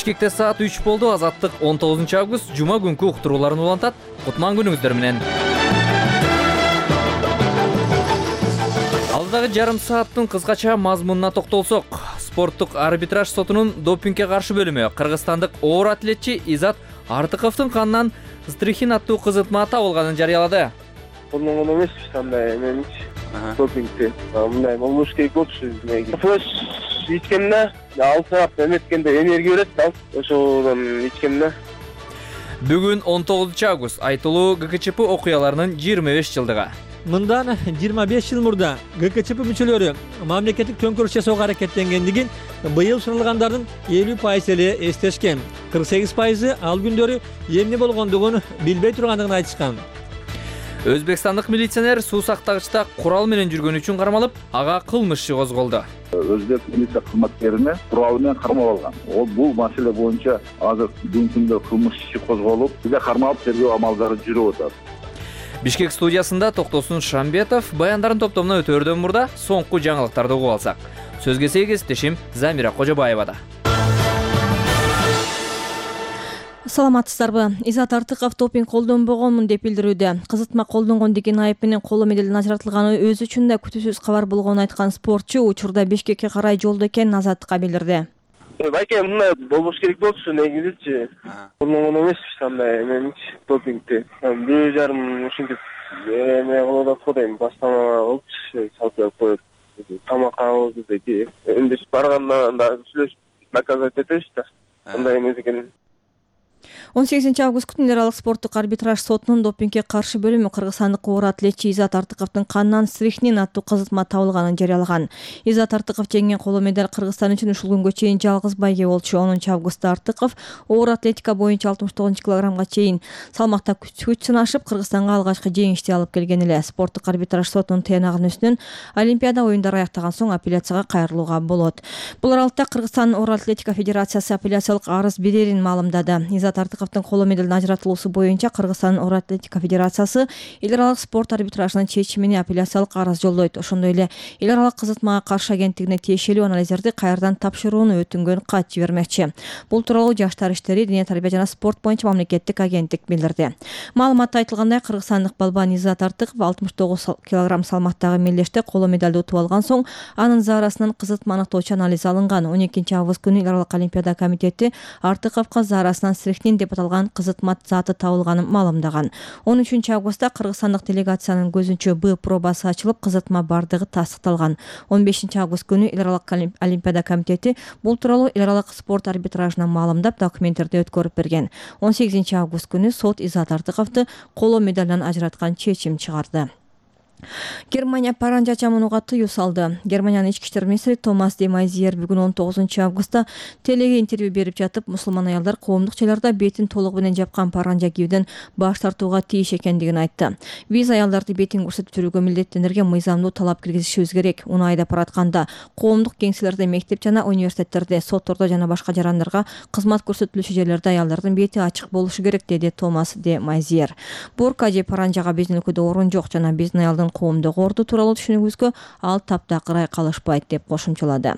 Бишкекте саат 3 болду. Азаттык 19 август жума күнкү уктурууларын улантат. Кутман күнүңүздөр менен. Алдагы жарым сааттын кыскача мазмунуна токтолсок, спорттук арбитраж сотунун допингге каршы бөлүмү кыргызстандык оор атлетчи Изат Артыковдун канынан стрихин аттуу кызытма табылганын жарыялады. Колдонгон эмеспиз андай эменичи допингти. Мындай болбош керек болчу. Фреш ичкенде алсак эметкенде энергия берет да. Ошодон ичкенде. Бүгүн 19 август айтылуу ГКЧП окуяларынын 25 жылдыгы. Мындан 25 жыл мурда ГКЧП мүчөлөрү мамлекеттик төңкөрүш жасоого аракеттенгендигин быйыл суралгандардын 50% эле эстешкен. 48% ал күндөрү эмне болгондугун билбей тургандыгын айтышкан. Өзбекстандык милиционер суу сактагычта курал менен жүргөн үчүн кармалып, ага кылмыш иши козголду. Өзбек милиция кызматкерине курал менен кармап алган. Бул маселе боюнча азыр бүгүнкү күндө кылмыш иши козголуп, бизде кармалып тергөө амалдары жүрүп атат. Бишкек студиясында Токтосун Шамбетов баяндарын топтомуна өтөөрдөн мурда соңку жаңылыктарды угуп алсак. Сөзгө сейгестешим Замира Кожобаевада. Саламатсыздарбы? Изат Артыков допинг колдонбогонмун деп билдирүүдө. Кызытма колдонгон деген айып менен коло медалдын ажыратылганы өзү үчүн да күтүүсүз кабар болгонун айткан спортчу учурда Бишкекке карай жолдо экенин Азаттыкка билдирди. Байке мындай болбош керек болчу негизичи. Колдонгон эмеспиз андай эменичи допингти. 1,5 ушинтип эме кылып атат дейм. Бастама болчу, салып коюп. Тамакабызды деги. Энди барганда да сүйлөшүп наказать этебиз да. Андай эмес экен. 18 август күнү эл аралык спорттук арбитраж сотунун допингге каршы бөлүмү кыргызстандык оор атлетчи Изат Артыковдун канынан стрихнин аттуу кызытма табылганын жарыялаган. Изат Артыков жеңген коло медаль Кыргызстан үчүн ушул күнгө чейин жалгыз байге болчу. 10 августта Артыков оор атлетика боюнча 69 килограммга чейин салмакта күч сынашып, Кыргызстанга алгачкы жеңишти алып келген эле. Спорттук арбитраж сотунун тыянагынын үстүнөн Олимпиада оюндары аяктаган соң апелляцияга кайрылууга болот. Бул аралыкта Кыргызстан оор атлетика федерациясы апелляциялык арыз берерин маалымдады. Изат Артыковдун коло медалдын ажыратылуусу боюнча Кыргызстан оор атлетика федерациясы эл аралык спорт арбитражынын чечимине апелляциялык арыз жолдойт. Ошондой эле эл аралык кызытмага каршы агенттигине тиешелүү анализдерди кайрадан тапшырууну өтүнгөн кат жибермекчи. Бул тууралуу Жаштар иштери, дене тарбия жана спорт боюнча мамлекеттик агенттик билдирди. Маалыматта айтылгандай, кыргызстандык балбан Изат Артыков 69 кг салмактагы мелдеште коло медалды утуп алган соң анын заарасынан кызытма аныктоочу анализ алынган. 12 август күнү эл аралык олимпиада комитети Артыковго заарасынан стрихнин деп аталган кызытма заты табылганын маалымдаган. 13 августта кыргызстандык делегациянын көзүнчө Б пробасы ачылып, кызытма бардыгы тастыкталган. 15 август күнү эл аралык олимпиада комитети бул тууралуу эл аралык спорт арбитражына маалымдап, документтерди өткөрүп берген. 18 август күнү сот Изат Артыковду коло медалдан ажыраткан чечим чыгарды. Германия паранжа чамынууга тыюу салды. Германиянын ички иштер министри Томас де Майзиер бүгүн 19 августта телеге интервью берип жатып, мусулман аялдар коомдук жайларда бетин толугу менен жапкан паранжа кийүүдөн баш тартууга тийиш экендигин айтты. Биз аялдарды бетин көрсөтүп жүрүүгө милдеттенерге мыйзамдуу талап киргизишибиз керек. Уну айдап баратканда коомдук кеңселерде, мектеп жана университеттерде, соттордо жана башка жарандарга кызмат көрсөтүлүүчү жерлерде аялдардын бети ачык болушу керек, деди Томас де Майзиер. Бурка же паранжага биздин өлкөдө орун жок жана биздин аялдын коомдук орду тууралуу түшүнүгүбүзгө ал таптакырай калышпайт, деп кошумчалады.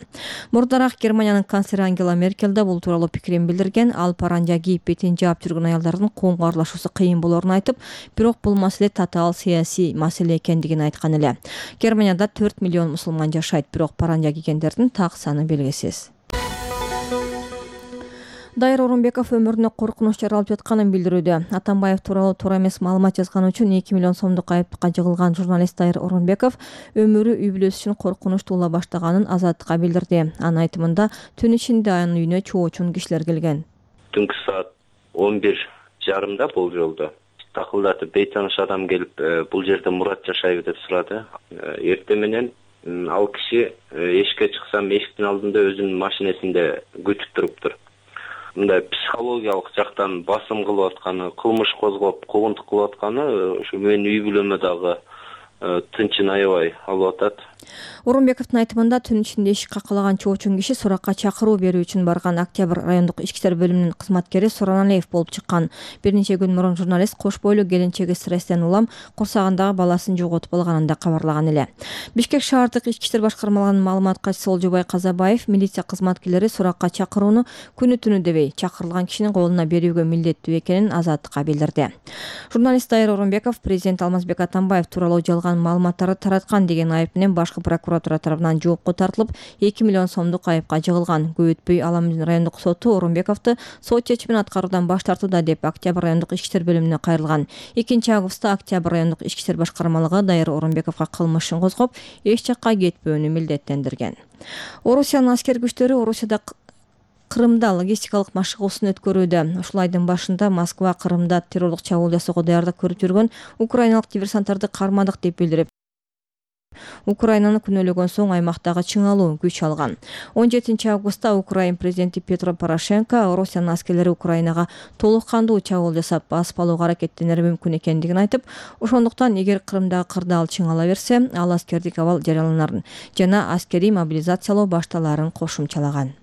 Мурдараак Германиянын канцлери Ангела Меркель да бул тууралуу пикирин билдирген. Ал паранжа кийип бетин жаап жүргөн аялдардын коомго аралашуусу кыйын болоорун айтып, бирок бул маселе татаал саясий маселе экендигин айткан эле. Германияда 4 миллион мусулман жашайт, бирок паранжа кийгендердин так саны белгисиз. Дайыр Орунбеков өмүрүнө коркунуч жаралып жатканын билдирүүдө. Атамбаев тууралуу туура эмес маалымат жазганы үчүн 2 миллион сомдук айыптыкка жыгылган журналист Дайыр Орунбеков өмүрү үй бүлөсү үчүн коркунуч туула баштаганын Азаттыкка билдирди. Анын айтымында түн ичинде анын үйүнө чоочун кишилер келген. Түнкү саат 11:30 бул жолдо такылдатып бейтаныш адам келип, бул жерде Мурат жашайбы деп сурады. Эртең менен ал киши эшикке чыксам, эшиктин алдында өзүнүн машинесинде күтүп туруптур. Мындай психологиялык жактан басым кылып атканы, кылмыш козгоп, куугунтук кылып атканы ушу менин үй бүлөмө дагы тынчын аябай алып атат. Орунбековдун айтымында түн ичинде ишик какылаган чоочун киши суракка чакыруу берүү үчүн барган Октябрь райондук ички иштер бөлүмүнүн кызматкери Сураналиев болуп чыккан. Бир нече күн мурун журналист кош бойлуу келинчеги стресстен улам курсагындагы баласын жоготуп алганын да кабарлаган эле. Бишкек шаардык ички иштер башкармалыгынын маалымат катчысы Олжобай Казабаев милиция кызматкерлери суракка чакырууну күнү түнү дебей чакырылган кишинин колуна берүүгө милдеттүү экенин Азаттыкка билдирди. Журналист Дайыр Орунбеков президент Алмазбек Атамбаев тууралуу жалган маалыматтарды тараткан деген айып менен башкы прокуратура тарабынан жоопко тартылып 2 миллион сомдук айыпка жыгылган. Көп өтпөй Аламдын райондук соту Орунбековду сот чечимин аткаруудан баш тартууда деп Октябрь райондук ички иштер бөлүмүнө кайрылган. 2-августта Октябрь райондук ички иштер башкармалыгы Дайыр Орунбековго кылмыш ишин козгоп, эч жакка кетпөөнү милдеттендирген. Орусиянын аскер күчтөрү Орусияда Крымда логистикалык машыгуусун өткөрүүдө. Ушул айдын башында Москва Крымда террорлук чабуул жасоого даярдык көрүп жүргөн украиналык диверсанттарды кармадык деп билдирип, Украинаны күнөөлөгөн соң аймактагы чыңалуу күч алган. 17-августта Украин президенти Петро Порошенко Орусиянын аскерлери Украинага толук кандуу чабуул жасап, басып алууга аракеттенери мүмкүн экендигин айтып, ошондуктан эгер Крымдагы кырдаал чыңала берсе, ал аскердик абал жарыяланарын жана аскерий мобилизациялоо башталарын кошумчалаган.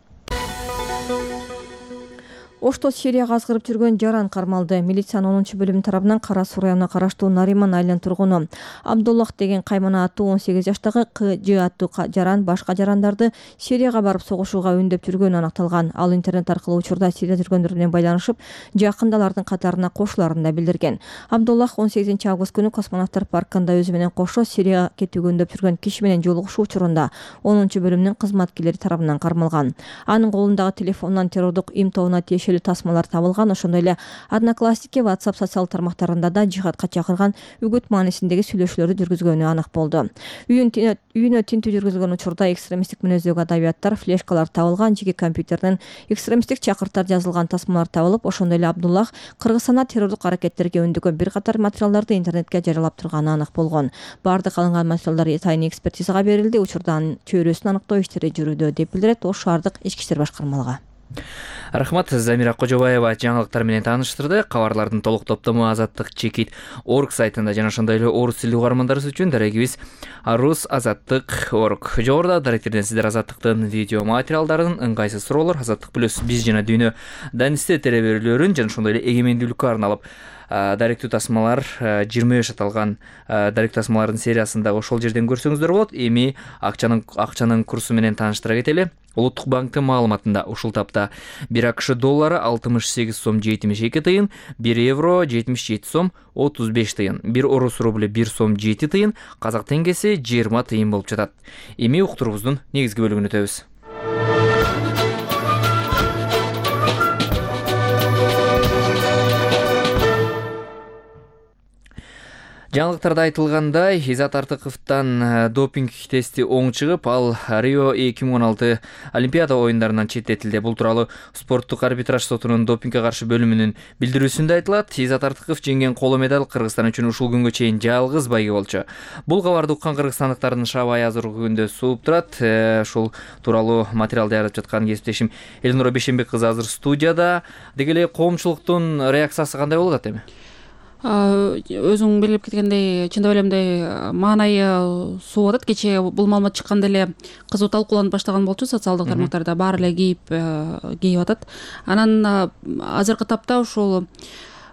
Ошто Сирияга азгырып жүргөн жаран кармалды. Милициянын 10-бөлүмү тарабынан Кара Суу районуна караштуу Нариман айылынын тургуну Абдуллах деген каймана аттуу 18 жаштагы КЖ аттуу жаран башка жарандарды Сирияга барып согушууга үндөп жүргөнү аныкталган. Ал интернет аркылуу учурда Сирияда жүргөндөр менен байланышып, жакында алардын катарына кошуларын да билдирген. Абдуллах 18-август күнү космонавттар паркында өзү менен кошо Сирияга кетүүгө үндөп жүргөн киши менен жолугушуу учурунда 10-бөлүмүнүн кызматкерлери тарабынан кармалган. Анын колундагы телефонунан террордук им тобуна тасмалар табылган. Ошондой эле Одноклассники, WhatsApp социалдык тармактарында да жихадка чакырган үгүт маанисиндеги сүйлөшүүлөрдү жүргүзгөнү анык болду. Үйүнө тинтүү жүргүзүлгөн учурда экстремисттик мүнөздөгү адабияттар, флешкалар табылган, жеке компьютерден экстремисттик чакыртар жазылган тасмалар табылып, ошондой эле Абдуллах Кыргызстанда террордук аракеттерге өндөгөн бир катар материалдарды интернетке жарыялап турганы анык болгон. Бардык алынган материалдар тайный экспертизага берилди. Учурдан чөйрөсүн аныктоо иштери жүрүүдө деп билдирет Ош шаардык ички иштер башкармалыгы. Рахмат, Замира Кожобаева жаңылыктар менен тааныштырды. Кабарлардын толук топтому Азаттык.org сайтында жана ошондой эле орус тилдүү угармандарыбыз үчүн дарегибиз rusazаттык.org. Жогоруда даректерден сиздер Азаттыктын видео материалдарын, ыңгайсыз суроолор, Азаттык плюс биз жана дүйнө данисте телеберүүлөрүн жана ошондой эле эгемендүүлүккө арналып даректүү тасмалар 25 аталган даректүү тасмалардын сериясында ошол жерден көрсөңүздөр болот. Эми акчанын курсу менен тааныштыра кетели. Улуттук банктын маалыматында ушул тапта 1 АКШ доллары 68 сом 72 тыйын, 1 евро 77 сом 35 тыйын, 1 орус рубль 1 сом 7 тыйын, казак теңгеси 20 тыйын болуп жатат. Эми уктуруубуздун негизги бөлүгүнө өтөбүз. Жаңылыктарда айтылгандай, Изат Артыковдон допинг тести оң чыгып, ал Рио 2016 Олимпиада оюндарынан четтетилди. Бул тууралуу спорттук арбитраж сотунун допингге каршы бөлүмүнүн билдирүүсүндө айтылат. Изат Артыков жеңген коло медаль Кыргызстан үчүн ушул күнгө чейин жалгыз байге болчу. Бул кабарды уккан кыргызстандыктардын шабай азыр күндө сууп турат. Ушул тууралуу материал даярдап жаткан кесиптешим Элнура Бейшенбек кызы азыр студияда. Деги эле коомчулуктун реакциясы кандай болуп атат эми? Өзүң белгилеп кеткендей, чындап эле мындай маанайы сууп атат. Кечээ бул маалымат чыкканда эле кызуу талкууланып баштаган болчу социалдык тармактарда, баары эле кейип атат. Анан азыркы тапта ушул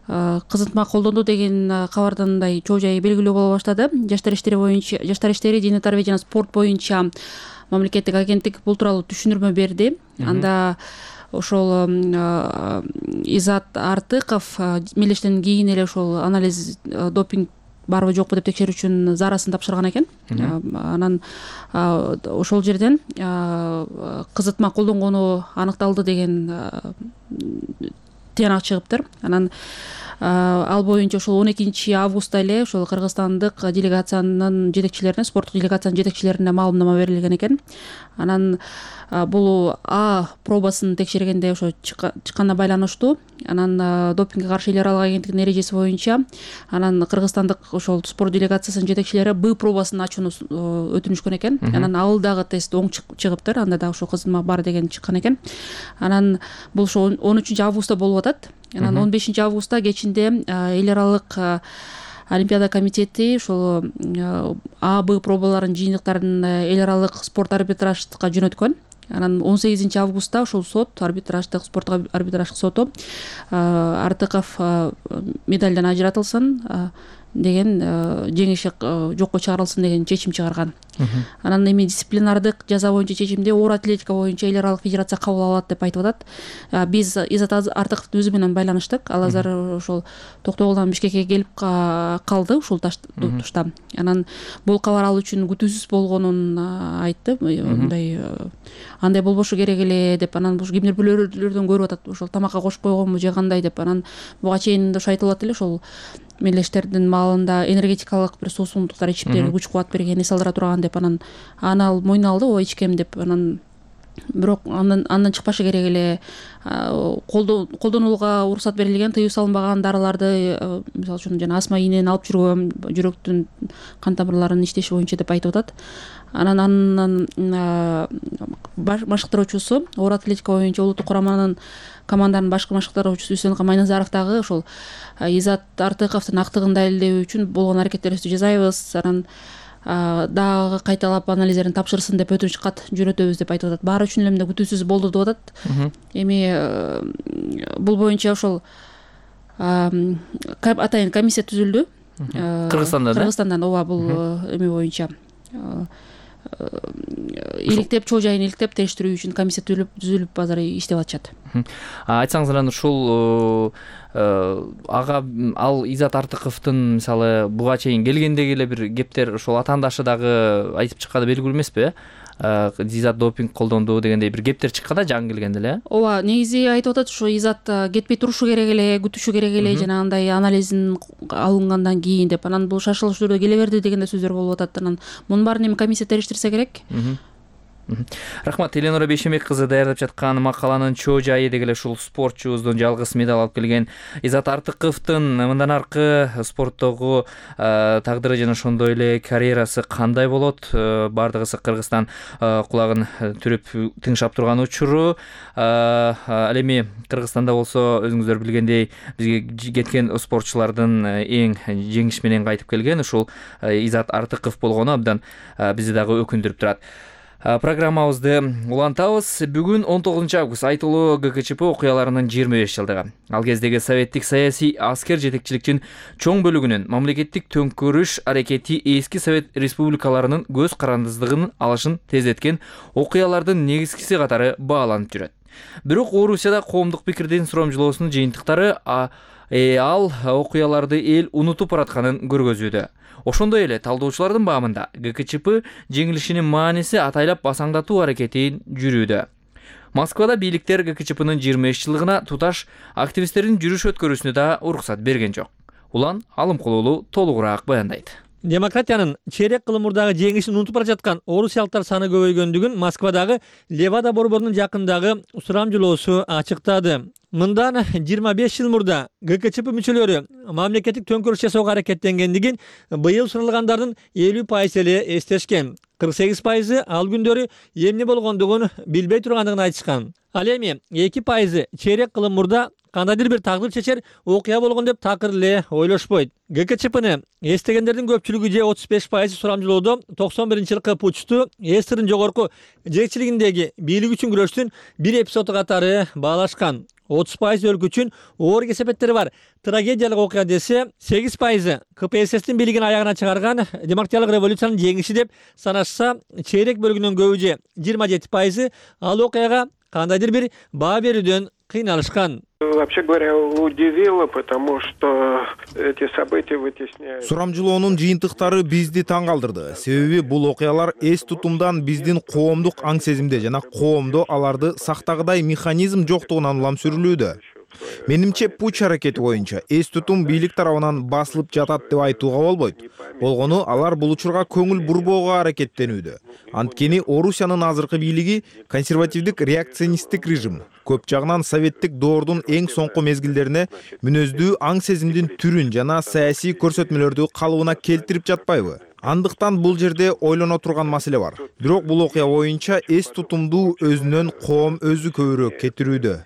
кызытма колдонду деген кабардан мындай чоо жай белгилүү боло баштады. Жаштар иштери, дене тарбия жана спорт боюнча мамлекеттик агенттик бул тууралуу түшүндүрмө берди. Анда ошол Изат Артыков мелештен кийин эле ошол анализ допинг барбы жокпу деп текшерүү үчүн зарасын тапшырган экен. Анан ошол жерден кызытма колдонгону аныкталды деген тыянак чыгыптыр. Анан ал боюнча ошол 12 августта эле ошол кыргызстандык делегациянын жетекчилерине, спорттук делегациянын жетекчилерине маалымнама берилген экен. Анан бул А пробасын текшергенде ошо чыкканына байланыштуу. Анан допингге каршы эл аралык агенттигинин эрежеси боюнча анан кыргызстандык ошол спорт делегациясынын жетекчилери Б пробасын ачууну өтүнүшкөн экен. Анан ал дагы тест оң чыгыптыр. Анда да ошол кызытма бар деген чыккан экен. Анан бул ошо 13 августта болуп атат. Анан 15 августта кечинде эл аралык Олимпиада комитети ошол А, Б пробаларын жыйынтыктарын эл аралык спорт арбитраждыкка жөнөткөн. Анан 18 августта ошол сот, арбитраждык спорттук арбитраждык соту Артыков медалдан ажыратылсын деген, жеңиши жокко чыгарылсын деген чечим чыгарган. Анан эми дисциплинардык жаза боюнча чечимди оор атлетика боюнча эл аралык федерация кабыл алат деп айтып атат. Биз Изат Артыковдун өзү менен байланыштык. Ал азыр ошол Токтогулдан Бишкекке келип калды ушул тушта. Анан бул кабар ал үчүн күтүүсүз болгонун айтты. Андай болбошу керек эле деп, анан бул кимдир бирөөлөрдөн көрүп атат, ошол тамакка кошуп койгонбу же кандай деп. Анан буга чейин ошо айтылат эле, ошол мелдештердин маалында энергетикалык бир суусундуктар ичип берип күч кубат берген, эс алдыра турган деп, анан аны ал мойнуна алды, ооба ичкем деп. Анан бирок андан чыкпашы керек эле, колдонууга уруксат берилген, тыюу салынбаган дарыларды, мисалы үчүн жана астма ийнени алып жүргөм, жүрөктүн кан тамырларынын иштеши боюнча деп айтып атат. Анан машыктыруучусу, оор атлетика боюнча улуттук кураманын команданын башкы машыктыруучусу Үсөн Камайназаров дагы ошол Изат Артыковдун актыгын далилдөө үчүн болгон аракеттерибизди жасайбыз, анан дагы кайталап анализдерин тапшырсын деп өтүнүч кат жөнөтөбүз деп айтып атат. Баары үчүн эле күтүүсүз болду деп атат. Эми бул боюнча ошол атайын комиссия түзүлдү. Кыргызстандан, ооба, бул эми боюнча иликтеп, чоо жайын иликтеп териштирүү үчүн комиссия түзүлүп азыр иштеп атышат. Айтсаңыз, анан ушул ага ал Изат Артыковдун мисалы буга чейин келгендеги эле бир кептер ошол атаандашы дагы айтып чыкканы белгилүү эмеспи? Изат допинг колдонду дегендей бир кептер чыккан да жаңы келгенде эле. Ооба, негизи айтып атат, ушу Изат кетпей турушу керек эле, күтүшү керек эле, жанагындай анализин алынгандан кийин деп. Анан бул шашылыш түрдө келе берди деген да сөздөр болуп атат. Анан мунун баарын эми комиссия териштирсе керек. Рахмат. Эленора Бейшембек кызы даярдап жаткан макаланын чоо жайы деги эле ушул спортчубуздун жалгыз медаль алып келген Изат Артыковдун мындан аркы спорттогу тагдыры жана ошондой эле карьерасы кандай болот, бардыгысы Кыргызстан кулагын түрүп тыңшап турган учуру. Ал эми Кыргызстанда болсо өзүңүздөр билгендей бизге кеткен спортчулардын эң жеңиш менен кайтып келген ушул Изат Артыков болгону абдан бизди дагы өкүндүрүп турат. Программабызды улантабыз. Бүгүн 19 август айтылуу ГКЧП окуяларынын 25 жылдыгы. Ал кездеги советтик саясий аскер жетекчиликтин чоң бөлүгүнүн мамлекеттик төңкөрүш аракети эски совет республикаларынын көз карандыздыгын алышын тездеткен окуялардын негизгиси катары бааланып жүрөт. Бирок Орусияда коомдук пикирдин сурамжылоосунун жыйынтыктары ал окуяларды эл унутуп баратканын көргөзүүдө. Ошондой эле талдоочулардын баамында ГКЧП жеңилишинин мааниси атайлап басаңдатуу аракетин жүрүүдө. Москвада бийликтер ГКЧПнын 25 жылдыгына туташ активисттердин жүрүш өткөрүүсүнө да уруксат берген жок. Улан Алымкулуулу толугураак баяндайт. Демократиянын чейрек кылым мурдагы жеңишин унутуп бара жаткан орусиялыктар саны көбөйгөндүгүн Москвадагы Левада борборунун жакындагы сурамжылоосу ачыктады. Мындан 25 жыл мурда ГКЧП мүчөлөрү мамлекеттик төңкөрүш жасоого аракеттенгендигин быйыл суралгандардын 50% эле эстешкен. 48% ал күндөрү эмне болгондугун билбей тургандыгын айтышкан. Ал эми 2% чейрек кылым мурда кандайдыр бир тагдыр чечер окуя болгон деп такыр эле ойлошпойт. ГКЧПны эстегендердин көпчүлүгү же 35% сурамжылоодо 91-жылкы путчту СССРдин жогорку жетекчилигиндеги бийлик үчүн күрөштүн бир эпизоду катары баалашкан. 30% өлкө үчүн оор кесепеттери бар трагедиялык окуя десе, 8% КПССтин бийлигин аягына чыгарган демократиялык революциянын жеңиши деп санашса, чейрек бөлүгүнүн көбү же 27% ал окуяга кандайдыр бир баа берүүдөн кыйналышкан. Вообще говоря, удивило, потому что эти события вытесняют. Сурамжылоонун жыйынтыктары бизди таң калтырды. Себеби бул окуялар эс тутумдан биздин коомдук аң сезимде жана коомдо аларды сактагыдай механизм жоктугунан улам сүрүлүүдө. Менимче путч аракети боюнча эс тутум бийлик тарабынан басылып жатат деп айтууга болбойт. Болгону алар бул учурга көңүл бурбоого аракеттенүүдө. Анткени Орусиянын азыркы бийлиги консервативдик реакционисттик режим. Көп жагынан советтик доордун эң соңку мезгилдерине мүнөздүү аң сезимдин түрүн жана саясий көрсөтмөлөрдү калыбына келтирип жатпайбы? Андыктан бул жерде ойлоно турган маселе бар. Бирок бул окуя боюнча эс тутумду өзүнөн коом өзү көбүрөөк кетирүүдө.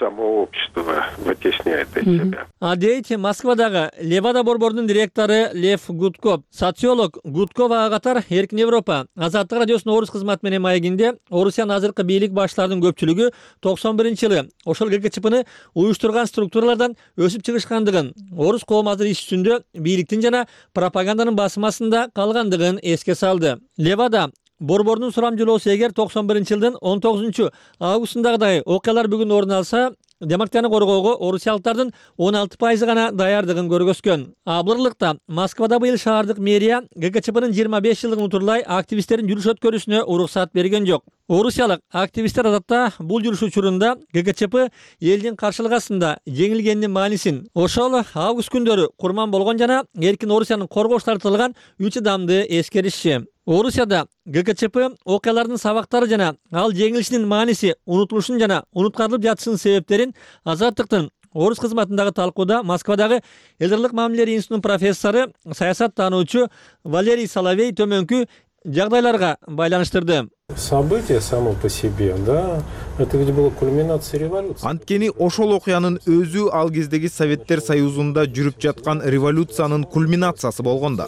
само общество вытесняет от себя. А дейт Москвадагы Левада борборунун директору Лев Гудков. Социолог Гудков ага катар Эркин Европа Азаттык радиосунун орус кызматы менен маегинде Орусиянын азыркы бийлик башчыларынын көпчүлүгү 91-жылы ошол ГКЧПны уюштурган структуралардан өсүп чыгышкандыгын, орус коому азыр иш үстүндө бийликтин жана пропаганданын басымасында калгандыгын эске салды. Левада борборунун сурамжылоосу эгер 91-жылдын 19-августундагыдай окуялар бүгүн орун алса, демократияны коргоого орусиялыктардын 16% гана даярдыгын көргөзгөн. Абырлыкта Москвада быйыл шаардык мэрия ГКЧПнын 25 жылдыгын утурлай активисттердин жүрүш өткөрүүсүнө уруксат берген жок. Орусиялык активисттер адатта бул жүрүш учурунда ГКЧП элдин каршылык астында жеңилгенинин маанисин, ошол август күндөрү курман болгон жана эркин Орусиянын коргош тартылган 3 адамды эскеришчи. Орусияда ГКЧП окуялардын сабактары жана ал жеңилишинин мааниси унутулушун жана унуткарылып жатышынын себептерин Азаттыктын орус кызматындагы талкууда Москвадагы элдерлик мамилелер институтунун профессору, саясаттануучу Валерий Соловей төмөнкү жагдайларга байланыштырды. Событие само по себе, да, это ведь была кульминация революции. Анткени ошол окуянын өзү ал кездеги Советтер Союзунда жүрүп жаткан революциянын кульминациясы болгондо.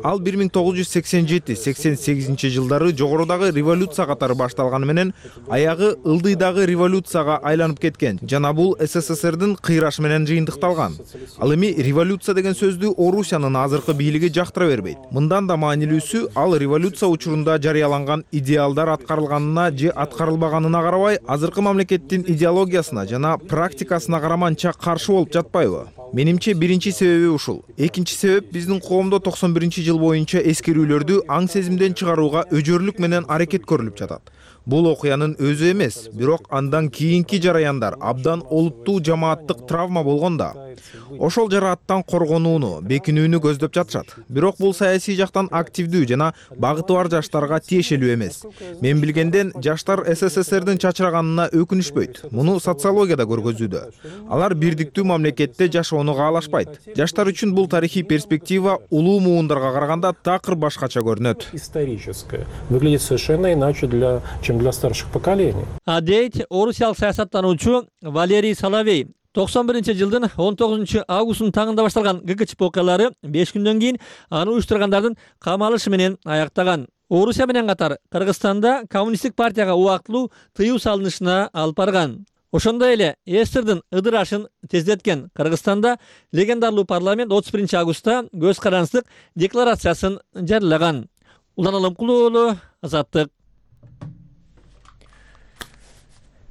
Ал 1987-88 жылдары жогорудагы революция катары башталганы менен аягы ылдыйдагы революцияга айланып кеткен жана бул СССРдин кыйрашы менен жыйынтыкталган. Ал эми революция деген сөздү Орусиянын азыркы бийлиги жактыра бербейт. Мындан да маанилүүсү, ал революция учурунда жарыяланган идеалдар аткарылганына же аткарылбаганына карабай, азыркы мамлекеттин идеологиясына жана практикасына караманча каршы болуп жатпайбы? Менимче биринчи себеби ушул. Экинчи себеп, биздин коомдо 91-жыл боюнча эскерүүлөрдү аң сезимден чыгарууга өжөрлүк менен аракет көрүлүп жатат. Бул окуянын өзү эмес, бирок андан кийинки жараяндар абдан олуттуу жамааттык травма болгондо ошол жарааттан коргонууну, бекинүүнү көздөп жатышат. Бирок бул саясий жактан активдүү жана багыты бар жаштарга тиешелүү эмес. Мен билгенден жаштар СССРдин чачыраганына өкүнүшпөйт. Муну социологияда көргөзүүдө. Алар бирдиктүү мамлекетте жашоону каалашпайт. Жаштар үчүн бул тарыхый перспектива улуу муундарга караганда такыр башкача көрүнөт. Историческое. Выглядит совершенно иначе чем для старших поколений. А дейт орусиялык саясаттануучу Валерий Соловей. 91-жылдын 19-августунун таңында башталган ГКЧП окуялары 5 күндөн кийин аны уюштургандардын камалышы менен аяктаган. Орусия менен катар Кыргызстанда коммунисттик партияга убактылуу тыюу салынышына алып барган. Ошондой эле СССРдин ыдырашын тездеткен Кыргызстанда легендарлуу парламент 31-августта көз карандысыздык декларациясын жарыялаган. Улан Алымкулуу уулу, Азаттык.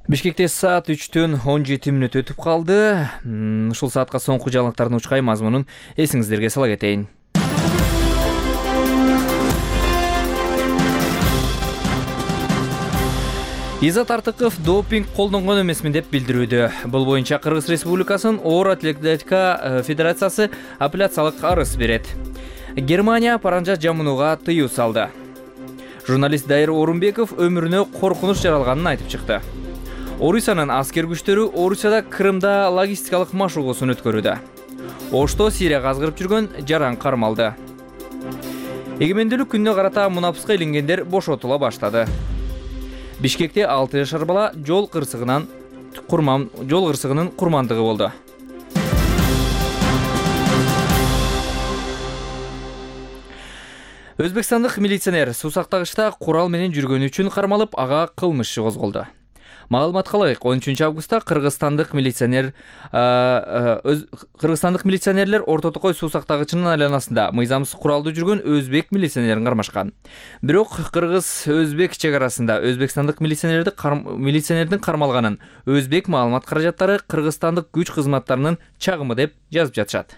Бишкекте саат 3:17 өтүп калды. Ушул саатка соңку жаңылыктардын учкай мазмунун эсиңиздерге сала кетейин. Изат Артыков допинг колдонгон эмесмин деп билдирүүдө. Бул боюнча Кыргыз Республикасынын оор атлетика федерациясы апелляциялык арыз берет. Германия паранжа жамынууга тыюу салды. Журналист Дайыр Орунбеков өмүрүнө коркунуч жаралганын айтып чыкты. Орусиянын аскер күчтөрү Орусияда Крымда логистикалык машыгуусун өткөрүүдө. Ошто Сирияга азгырып жүргөн жаран кармалды. Эгемендүүлүк күнүнө карата мунапыска илингендер бошотула баштады. Бишкекте 6 жашар бала жол кырсыгынын курмандыгы болду. Өзбекстандык милиционер суусактагычта курал менен жүргөнү үчүн кармалып, ага кылмыш иши козголду. Маалыматка ылайык, 13-августта кыргызстандык милиционерлер Орто Токой суусактагычынын айланасында мыйзамсыз куралды жүргөн өзбек милиционерин кармашкан. Бирок Кыргыз-Өзбек чегарасында өзбекстандык милиционердин кармалганын өзбек маалымат каражаттары кыргызстандык күч кызматтарынын чагымы деп жазып жатышат.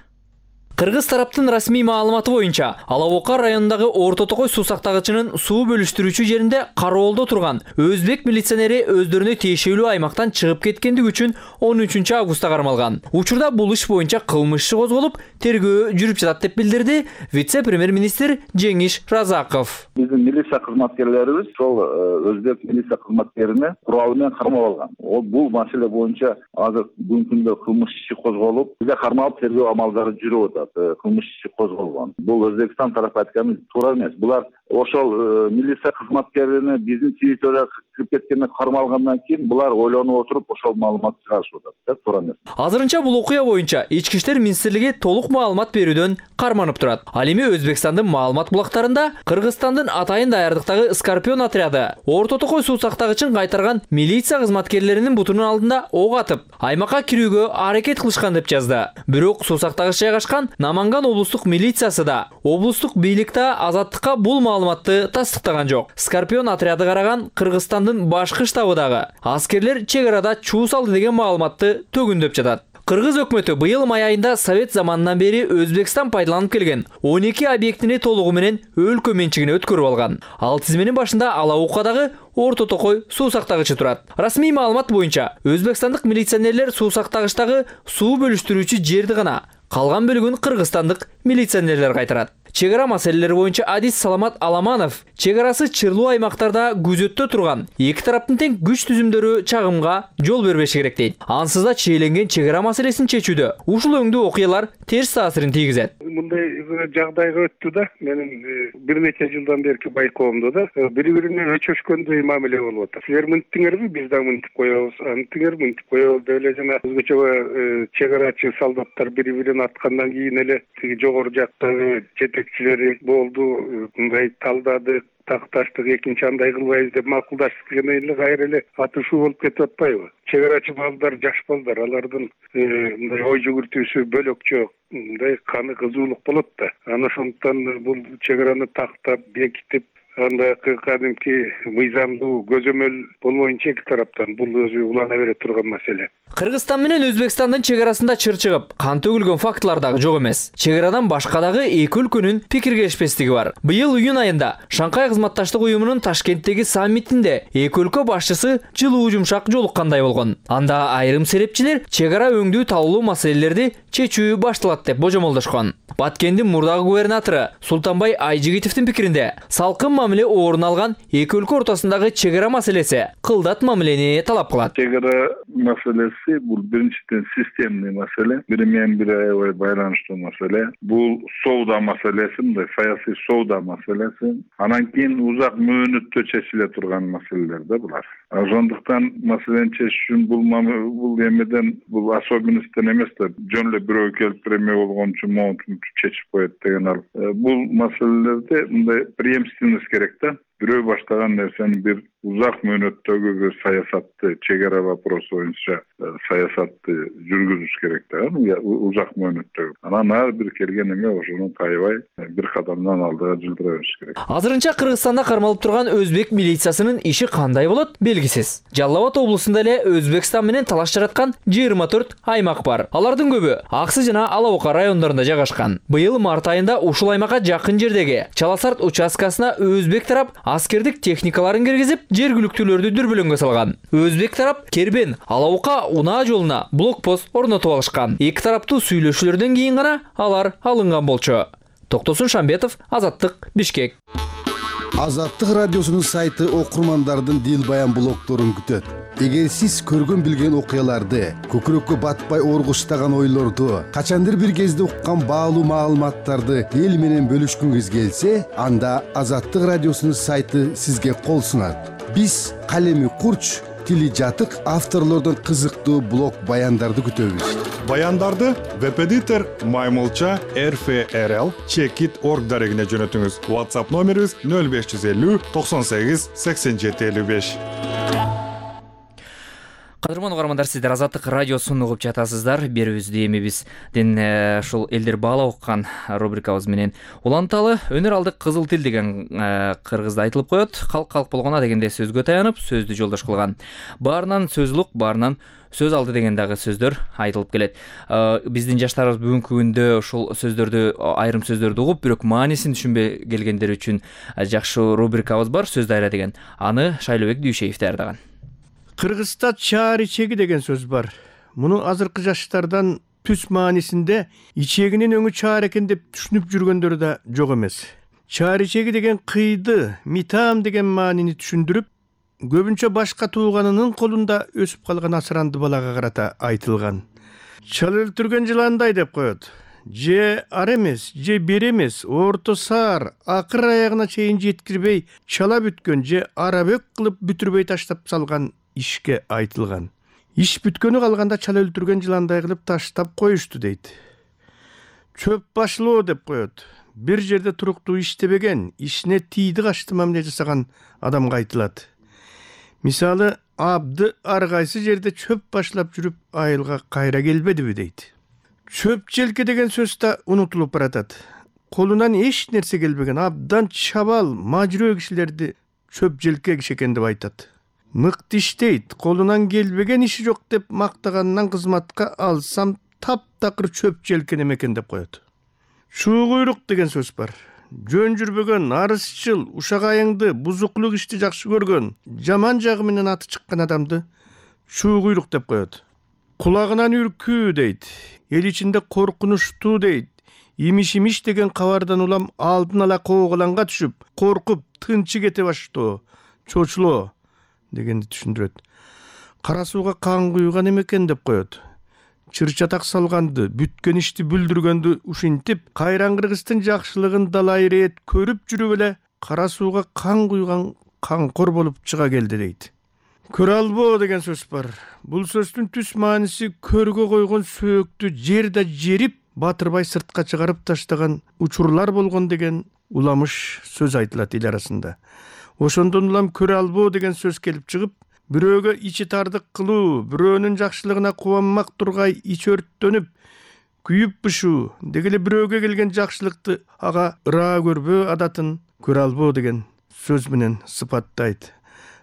Кыргыз тараптын расмий маалыматы боюнча, Алабока районундагы Орто Токой суусактагычынын суу бөлүштүрүүчү жеринде кароолдо турган өзбек милиционери өздөрүнө тиешелүү аймактан чыгып кеткендиги үчүн 13-августта кармалган. Учурда бул иш боюнча кылмыш иши козголуп, тергөө жүрүп жатат деп билдирди вице-премьер-министр Жеңиш Разаков. Биздин милиция кызматкерлерибиз ошол өзбек милиция кызматкерине курал менен кармап алган. Бул маселе боюнча азыр бүгүнкү күндө кылмыш иши козголуп, бизге кармалып тергөө амалдары жүрүп атат. Кылмыш иши козголгон. Бул Өзбекстан тарапы айтканы туура эмес. Булар ошол милиция кызматкерине биздин территорияга кирип кеткенин кармалгандан кийин булар ойлонуп отуруп ошол маалыматты чыгарышып атат да, туура эмес. Азырынча бул окуя боюнча Ички иштер министрлиги толук маалымат берүүдөн карманып турат. Ал эми Өзбекстандын маалымат булактарында Кыргызстандын атайын даярдыктагы Скорпион отряды Орто Токой суу сактагычын кайтарган милиция кызматкерлеринин бутунун алдында ок атып, аймакка кирүүгө аракет кылышкан деп жазды. Бирок суу сактагыч жайгашкан Наманган облустук милициясы да, облустук бийлик да Азаттыкка бул маалыматты тастыктаган жок. Скорпион отряды караган Кыргызстандын башкы штабы дагы аскерлер чек арада чуу салды деген маалыматты төгүндөп жатат. Кыргыз өкмөтү быйыл май айында Совет заманынан бери Өзбекстан пайдаланып келген 12 объектини толугу менен өлкө менчигине өткөрүп алган. Ал тизменин башында Алаукадагы Орто Токой суу сактагычы турат. Расмий маалымат боюнча өзбекстандык милиционерлер суу сактагычтагы суу бөлүштүрүүчү жерди гана, калган бөлүгүн кыргызстандык милиционерлер кайтарат. Чек ара маселелери боюнча Адис Саламат Аламанов чек арасы чырлуу аймактарда күзөттө турган эки тараптын тең күч түзүмдөрү чагымга жол бербеши керек дейт. Ансыз да чейленген чек ара маселесин чечүүдө ушул өңдүү окуялар терс таасирин тийгизет. Мындай жагдайга өттү да, менин бир нече жылдан берки байкоомдо да бири-бирине өчөшкөндөй мамиле болуп атат. Силер мынттыңарбы, биз да мынтип коебуз, антыңар мынтип коебуз деп эле жана өзгөчө чек арачы солдаттар бири-бирин аткандан кийин эле тиги жогору жактагы жетекчилери болду, мындай талдадык, такташтык, экинчи андай кылбайбыз деп макулдаштык дегенден эле кайра эле атышуу болуп кетип атпайбы? Чек арачы балдар, жаш балдар, алардын мындай ой жүгүртүүсү бөлөкчө, мындай каны кызуулук болот да. Анан ошондуктан бул чек араны тактап, бекитип, анда кадимки мыйзамдуу көзөмөл болбоюнча эки тараптан бул өзү улана бере турган маселе. Кыргызстан менен Өзбекстандын чек арасында чыр чыгып, кан төгүлгөн фактылар дагы жок эмес. Чек арадан башка дагы эки өлкөнүн пикир келишпестиги бар. Быйыл июнь айында Шанхай кызматташтык уюмунун Ташкенттеги саммитинде эки өлкө башчысы жылуу жумшак жолуккандай болгон. Анда айрым серепчилер чек ара өңдүү талуулуу маселелерди чечүү башталат деп божомолдошкон. Баткендин мурдагы губернатору Султанбай Айжигитовдин пикиринде салкын мамиле орун алган эки өлкө ортосундагы чек ара маселеси кылдат мамилени талап кылат. Чек ара маселеси бул биринчиден системный маселе, бири менен бири аябай байланыштуу маселе. Бул соода маселеси, мындай саясий соода маселеси. Анан кийин узак мөөнөттө чечиле турган маселелер да булар. Ошондуктан маселени чечиш үчүн бул эмеден, бул особенностьтен эмес да, жөн эле бирөө келип эме болгон үчүн моунтун чечип коет деген ал. Бул маселелерде мындай преемственность керек да. Бирөө баштаган нерсени бир узак мөөнөттөгү бир саясатты, чек ара вопросу боюнча саясатты жүргүзүш керек да, узак мөөнөттөгү. Анан ар бир келген эме ошону тайбай бир кадамдан алдыга жылдыра бериш керек. Азырынча Кыргызстанда кармалып турган өзбек милициясынын иши кандай болот белгисиз. Жалал Абад облусунда эле Өзбекстан менен талаш жараткан 24 аймак бар. Алардын көбү Аксы жана Алаука райондорунда жайгашкан. Быйыл март айында ушул аймакка жакын жердеги Чаласарт участкасына өзбек тарап аскердик техникаларын киргизип, жергиликтүүлөрдү дүрбөлөңгө салган. Өзбек тарап Кербен, Алаука унаа жолуна блокпост орнотуп алышкан. Эки тараптуу сүйлөшүүлөрдөн кийин гана алар алынган болчу. Токтосун Шамбетов, Азаттык, Бишкек. Азаттык радиосунун сайты окурмандардын дил баян блогдорун күтөт. Эгер сиз көргөн билген окуяларды, көкүрөккө батпай оргуштаган ойлорду, качандыр бир кезде уккан баалуу маалыматтарды эл менен бөлүшкүңүз келсе, анда Азаттык радиосунун сайты сизге кол сунат. Биз калеми курч, тили жатык авторлордон кызыктуу блог баяндарды күтөбүз. Баяндарды веб-эдитор Маймылча RFRL Checkit.org дарегине жөнөтүңүз. WhatsApp номерибиз 0550 98 87 55. Кадырман угармандар, сиздер Азаттык радиосун угуп жатасыздар. Берүүбүздү эми биздин ушул элдер баалап уккан рубрикабыз менен уланталы. Өнөр алдык кызыл тил деген кыргызда айтылып коет. Калк болгона дегенде сөзгө таянып, сөздү жолдош кылган. Баарынан сөз улук, баарынан сөз алды деген дагы сөздөр айтылып келет. Биздин жаштарыбыз бүгүнкү күндө ушул сөздөрдү, айрым сөздөрдү угуп, бирок маанисин түшүнбөй келгендер үчүн жакшы рубрикабыз бар, сөз дайра деген. Аны Шайлообек Дүйшеев даярдаган. Кыргызста чаар ичеги деген сөз бар. Муну азыркы жаштардан түз маанисинде ичегинин өңү чаар экен деп түшүнүп жүргөндөр да жок эмес. Чаар ичеги деген кыйды, митам деген маанини түшүндүрүп, көбүнчө башка тууганынын колунда өсүп калган асыранды балага карата айтылган. Чал өлтүргөн жыландай деп коет. же ар эмес, же бер эмес, орто саар акыр аягына чейин жеткирбей чала бүткөн же арабөк кылып бүтүрбөй таштап салган ишке айтылган. Иш бүткөнү калганда чала өлтүргөн жыландай кылып таштап коюшту дейт. Чөп башылоо деп коет. Бир жерде туруктуу иштебеген, ишине тийди качты мамиле жасаган адамга айтылат. Мисалы, абды ар кайсы жерде чөп башлап жүрүп айылга кайра келбедиби дейт. Чөп желке деген сөз да унутулуп баратат. Колунан эч нерсе келбеген абдан чабал, мажрөө кишилерди чөп желке киши экен деп айтат. Мыкты иштейт, колунан келбеген иши жок деп мактаганынан кызматка алсам таптакыр чөп желкен экен деп коет. Шуу куйрук деген сөз бар. Жөн жүрбөгөн, арызчыл, ушак айыңды, бузуклук ишти жакшы көргөн, жаман жагы менен аты чыккан адамды шуу куйрук деп коет. Кулагынан үркүү дейт. Эл ичинде коркунучтуу дейт. Имиш деген кабардан улам алдын ала кооголанга түшүп, коркуп, тынчы кете баштоо, чочулоо дегенди түшүндүрөт. Кара сууга кан куйган экен деп коет. Чыр-чатак салганды, бүткөн ишти бүлдүргөндү ушинтип, кайран кыргыздын жакшылыгын далай ирет көрүп жүрүп эле кара сууга кан куйган канкор болуп чыга келди дейт. Көрө албоо деген сөз бар. Бул сөздүн түз мааниси көргө койгон сөөктү жерде жерип, батырбай сыртка чыгарып таштаган учурлар болгон деген уламыш сөз айтылат эл арасында. Ошондон улам көрө албоо деген сөз келип чыгып, бирөөгө ичи тардык кылуу, бирөөнүн жакшылыгына кубанмак тургай ич өрттөнүп, күйүп бышуу, деги эле бирөөгө келген жакшылыкты ага ыраа көрбөө адатын көрө албоо деген сөз менен сыпаттайт.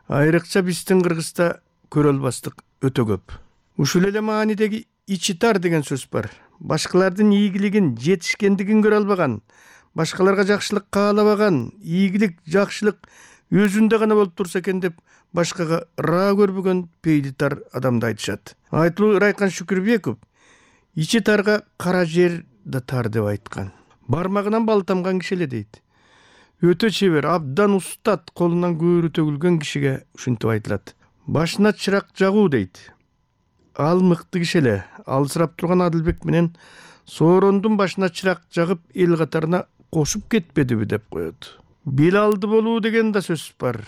Айрыкча биздин Кыргызда көрө албастык өтө көп. Ушул эле маанидеги ичи тар деген сөз бар. Башкалардын ийгилигин, жетишкендигин көрө албаган, башкаларга жакшылык каалабаган, ийгилик, жакшылык өзүндө гана болуп турса экен деп башкага ыраа көрбөгөн пейли тар адамды айтышат. Айтылуу Райкан Шүкүрбеков ичи тарга кара жер да тар деп айткан. Бармагынан бал тамган киши эле дейт. Өтө чебер, абдан устат, колунан көөрү төгүлгөн кишиге ушинтип айтылат. Башына чырак жагуу дейт. Ал мыкты киши эле. Алысырап турган Адылбек менен Соорондун башына чырак жагып эл катарына кошуп кетпедиби деп коет. Бел алды болуу деген да сөз бар.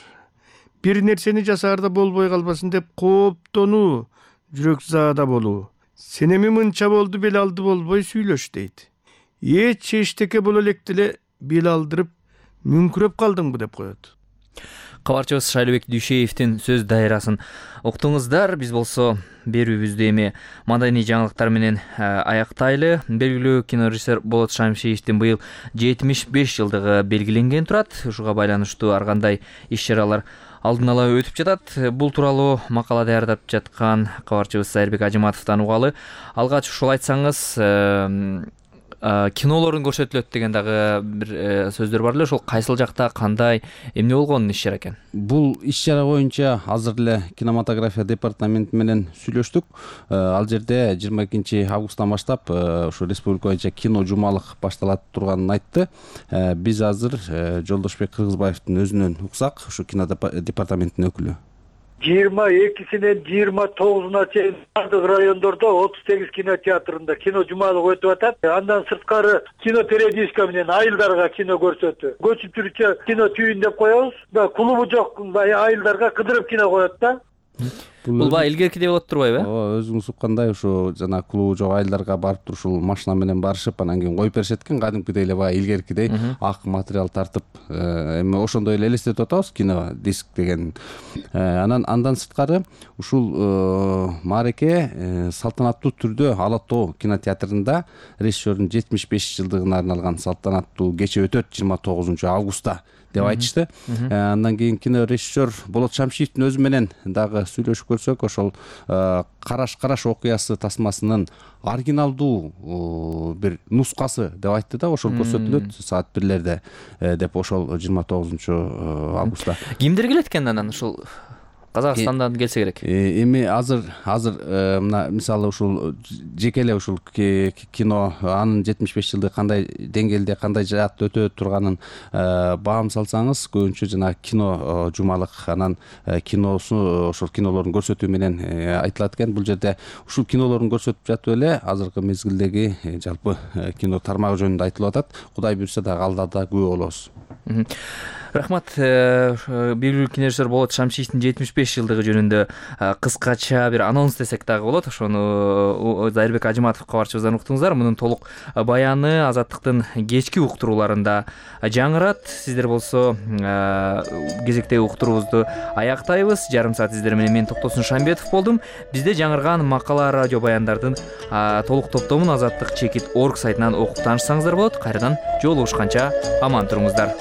Бир нерсени жасаарда болбой калбасын деп кооптонуу, жүрөк заада болуу. Сен эми мынча болду, бел алды болбой сүйлөш дейт. Эч эчтеке боло электи эле бел алдырып мүңкүрөп калдыңбы деп коет. Кабарчыбыз Шайлыбек Дүйшеевдин сөз дайрасын уктуңуздар. Биз болсо берүүбүздү эми маданий жаңылыктар менен аяктайлы. Белгилүү кинорежиссер Болот Шамшиевдин быйыл 75 жылдыгы белгиленген турат. Ушуга байланыштуу ар кандай иш-чаралар алдын ала өтүп жатат. Бул тууралуу макала даярдап жаткан кабарчыбыз Айырбек Ажыматовдон угалы. Алгач ушул айтсаңыз, кинолорун көрсөтүлөт деген дагы бир сөздөр бар эле. Ошол кайсыл жакта, кандай, эмне болгонун иш-чара экен? Бул иш-чара боюнча азыр эле кинематография департаменти менен сүйлөштүк. Ал жерде 22 августтан баштап ушу республика боюнча кино жумалык башталат турганын айтты. Биз азыр Жолдошбек Кыргызбаевдин өзүнөн уксак, ушу кино департаментинин өкүлү. 22-синен 29-уна чейин бардык райондордо 38 кинотеатрында кино жумалык өтүп атат. Андан сырткары кино периодическа менен айылдарга кино көрсөтүү. Көчүп жүрүчү кино түйүн деп коебуз. Клубу жок айылдарга кыдырып кино коет да. Бул баягы илгеркидей болот турбайбы? Ооба, өзүңүз уккандай ушу жана клубу жок айылдарга барып туруп ушул машина менен барышып, анан кийин коюп беришет экен, кадимкидей эле баягы илгеркидей ак материал тартып, эми ошондой эле элестетип атабыз кино диск деген. Андан сырткары ушул маареке салтанаттуу түрдө Ала Тоо кинотеатрында режиссердун 75 жылдыгына арналган салтанаттуу кече өтөт 29 августта деп айтышты. Андан кийин кинорежиссер Болот Шамшиевдин өзү менен дагы сүйлөшүп көрсөк, ошол Караш окуясы тасмасынын оригиналдуу бир нускасы деп айтты да, ошол көрсөтүлөт саат 1-лерде деп ошол 29 августта. Кимдер келет экен анан ушул Казакстандан келсе керек. Эми азыр мына мисалы ушул жеке эле ушул кино анын 75 жылдык кандай деңгээлде кандай жаатта өтө турганын баам салсаңыз, көбүнчө жана кино жумалык, анан киносу ошол кинолордун көрсөтүү менен айтылат экен. Бул жерде ушул кинолордун көрсөтүп жатып эле азыркы мезгилдеги жалпы кино тармагы жөнүндө айтылып атат. Кудай буйрса дагы алдыда күбө болобуз. Рахмат. Белгилүү кинорежиссер Болот Шамшиевдин 75 жылдыгы жөнүндө кыскача бир анонс десек дагы болот. Ошону Зайырбек Ажыматов кабарчыбыздан уктуңуздар. Мунун толук баяны Азаттыктын кечки уктурууларында жаңырат. Сиздер болсо кезектеги уктуруубузду аяктайбыз. Жарым саат сиздер менен мен Токтосун Шамбетов болдум. Бизде жаңырган макала, радио баяндардын толук топтомун Азаттык.org сайтынан окуп таанышсаңыздар болот. Кайрадан жолугушканча аман туруңуздар.